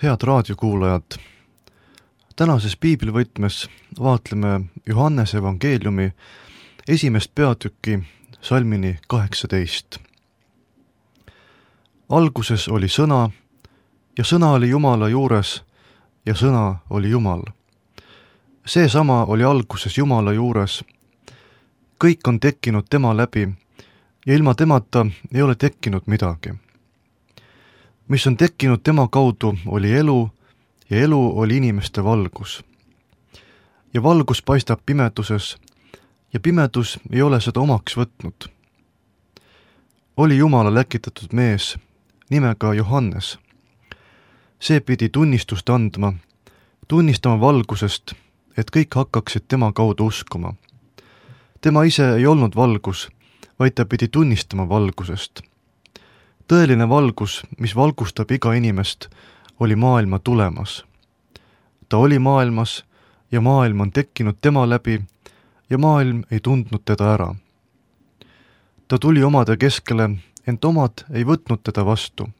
Head raadiokuulajad, tänases piiblivõtmes vaatleme Johannese evangeeliumi 1. peatüki salmini 18. Alguses oli sõna ja sõna oli Jumala juures ja sõna oli Jumal. Seesama oli alguses Jumala juures. Kõik on tekkinud tema läbi ja ilma temata ei ole tekkinud midagi. Mis on tekkinud tema kaudu, oli elu ja elu oli inimeste valgus. Ja valgus paistab pimeduses ja pimedus ei ole seda omaks võtnud. Oli Jumala läkitatud mees nimega Johannes. See pidi tunnistust andma, tunnistama valgusest, et kõik hakkaksid tema kaudu uskuma. Tema ise ei olnud valgus, vaid ta pidi tunnistama valgusest. Tõeline valgus, mis valgustab iga inimest, oli maailma tulemas. Ta oli maailmas ja maailm on tekkinud tema läbi ja maailm ei tundnud teda ära. Ta tuli omade keskele, ent omad ei võtnud teda vastu.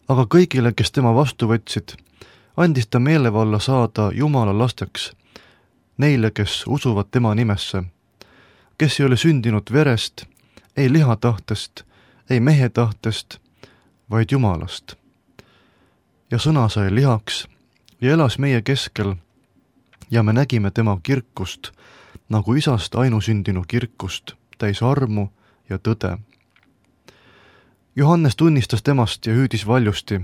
Aga kõigile, kes tema vastu võtsid, andis ta meelevalla saada Jumala lasteks, neile, kes usuvad tema nimesse, kes ei ole sündinud verest, ei lihatahtest, ei mehe tahtest, vaid Jumalast. Ja sõna sai lihaks ja elas meie keskel ja me nägime tema kirkust, nagu isast ainusündinu kirkust, täis armu ja tõde. Johannes tunnistas temast ja hüüdis valjusti.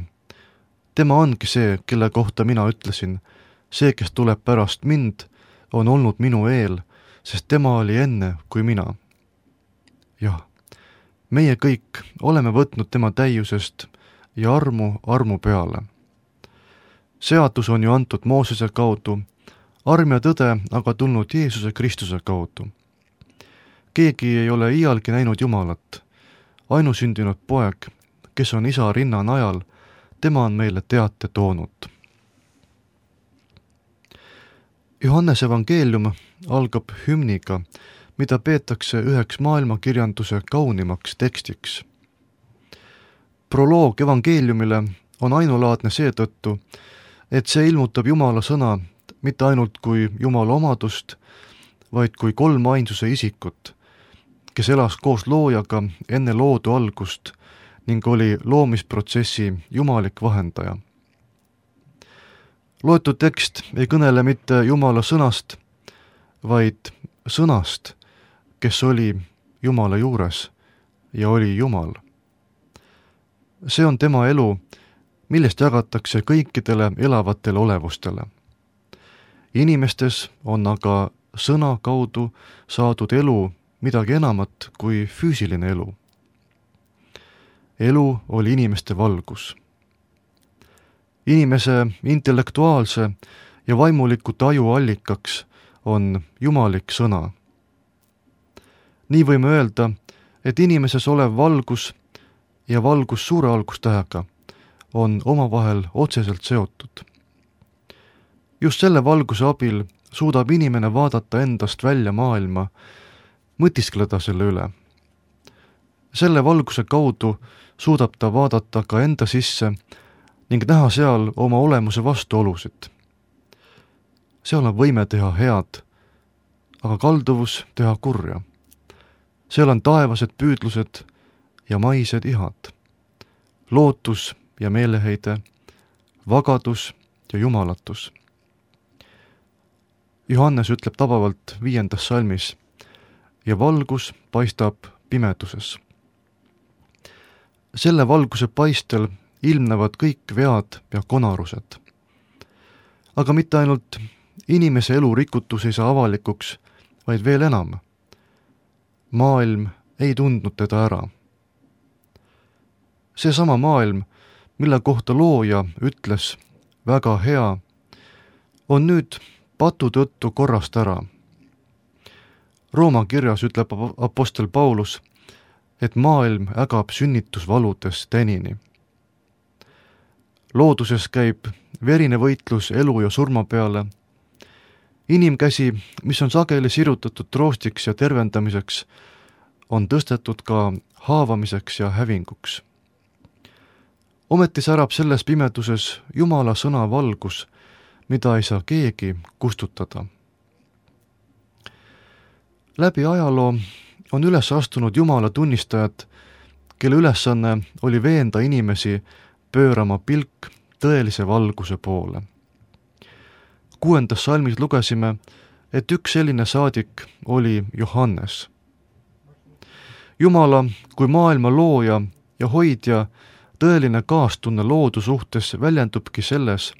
Tema ongi see, kelle kohta mina ütlesin, see, kes tuleb pärast mind, on olnud minu eel, sest tema oli enne kui mina. Jah. Meie kõik oleme võtnud tema täiusest ja armu peale. Seadus on ju antud Moosese kaudu, arm ja tõde aga tulnud Jeesuse Kristuse kaudu. Keegi ei ole iialgi näinud Jumalat. Ainusündinud poeg, kes on isa rinna najal, tema on meile teate toonud. Johannese evangeelium algab hümniga, mida peetakse üheks maailmakirjanduse kaunimaks tekstiks. Proloog evangeeliumile on ainulaadne seetõttu, et see ilmutab Jumala sõna mitte ainult kui Jumala omadust, vaid kui kolmainsuse isikut, kes elas koos loojaga enne loodu algust ning oli loomisprotsessi jumalik vahendaja. Loetud tekst ei kõnele mitte Jumala sõnast, vaid sõnast, kes oli Jumala juures ja oli Jumal. See on tema elu, millest jagatakse kõikidele elavatele olevustele. Inimestes on aga sõna kaudu saadud elu midagi enamat kui füüsiline elu. Elu oli inimeste valgus. Inimese intellektuaalse ja vaimuliku taju allikaks on jumalik sõna. Nii võime öelda, et inimeses olev valgus ja valgus suure algustähega on omavahel otseselt seotud. Just selle valguse abil suudab inimene vaadata endast välja maailma, mõtiskleda selle üle. Selle valguse kaudu suudab ta vaadata ka enda sisse ning näha seal oma olemuse vastuolusid. Seal on võime teha head, aga kalduvus teha kurja. Seal on taevased püüdlused ja maised ihad, lootus ja meeleheide, vagadus ja jumalatus. Johannes ütleb tabavalt 5. salmis, ja valgus paistab pimeduses. Selle valguse paistel ilmnevad kõik vead ja konarused. Aga mitte ainult inimese elu rikutus ei saa avalikuks, vaid veel enam. Maailm ei tundnud teda ära. Seesama maailm, mille kohta looja ütles väga hea, on nüüd patu tõttu korrast ära. Rooma kirjas ütleb apostel Paulus, et maailm ägab sünnitusvaludes tänini. Looduses käib verine võitlus elu ja surma peale. Inimkäsi, mis on sageli sirutatud troostiks ja tervendamiseks, on tõstetud ka haavamiseks ja hävinguks. ometi särab selles pimeduses Jumala sõna valgus, mida ei saa keegi kustutada. Läbi ajaloo on üles astunud Jumala tunnistajad, kelle ülesanne oli veenda inimesi pöörama pilk tõelise valguse poole. 6. salmis lugesime, et üks selline saadik oli Johannes. Jumala kui maailma looja ja hoidja tõeline kaastunne loodu suhtes väljendubki selles,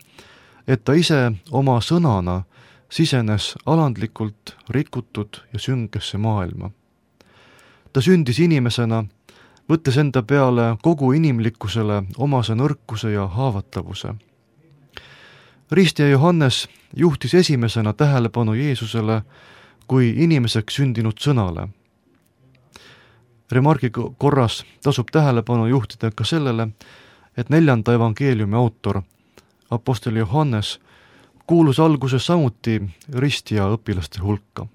et ta ise oma sõnana sisenes alandlikult rikutud ja süngesse maailma. Ta sündis inimesena, võttes enda peale kogu inimlikkusele omase nõrkuse ja haavatavuse. Ristja Johannes juhtis esimesena tähelepanu Jeesusele kui inimeseks sündinud sõnale. Remargi korras tasub tähelepanu juhtida ka sellele, et 4. evangeeliumi autor, apostel Johannes, kuulus alguses samuti ristja õpilaste hulka.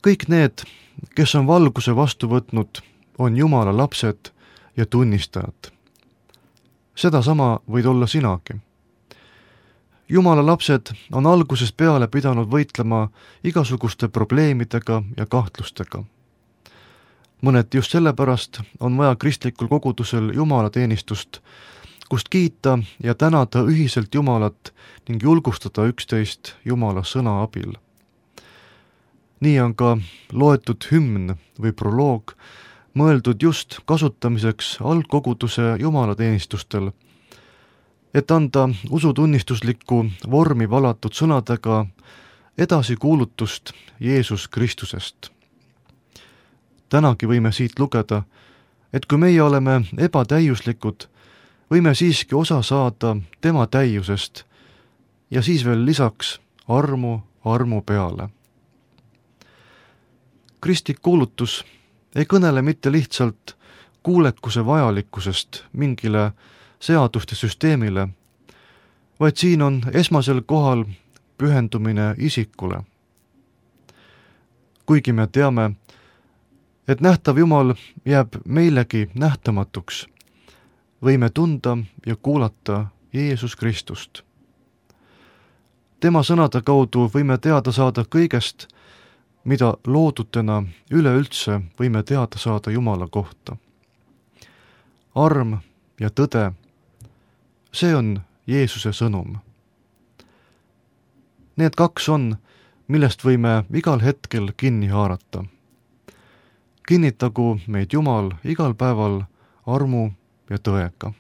Kõik need, kes on valguse vastu võtnud, on Jumala lapsed ja tunnistajad. Sedasama võid olla sinagi. Jumala lapsed on algusest peale pidanud võitlema igasuguste probleemidega ja kahtlustega. Mõneti just sellepärast on vaja kristlikul kogudusel jumalateenistust, kust kiita ja tänada ühiselt Jumalat ning julgustada üksteist Jumala sõna abil. Nii on ka loetud hümn või proloog mõeldud just kasutamiseks algkoguduse jumalateenistustel, et anda usutunnistuslikku vormi valatud sõnadega edasi kuulutust Jeesus Kristusest. Tänagi võime siit lugeda, et kui meie oleme ebatäiuslikud, võime siiski osa saada tema täiusest ja siis veel lisaks armu peale. Kristlik kuulutus ei kõnele mitte lihtsalt kuulekuse vajalikkusest mingile seaduste süsteemile, vaid siin on esmasel kohal pühendumine isikule. Kuigi me teame, et nähtav Jumal jääb meilegi nähtamatuks, võime tunda ja kuulata Jeesus Kristust. Tema sõnade kaudu võime teada saada kõigest, mida loodutena üleüldse võime teada saada Jumala kohta. Arm ja tõde, see on Jeesuse sõnum. Need kaks on, millest võime igal hetkel kinni haarata. Kinnitagu meid Jumal igal päeval armu ja tõega.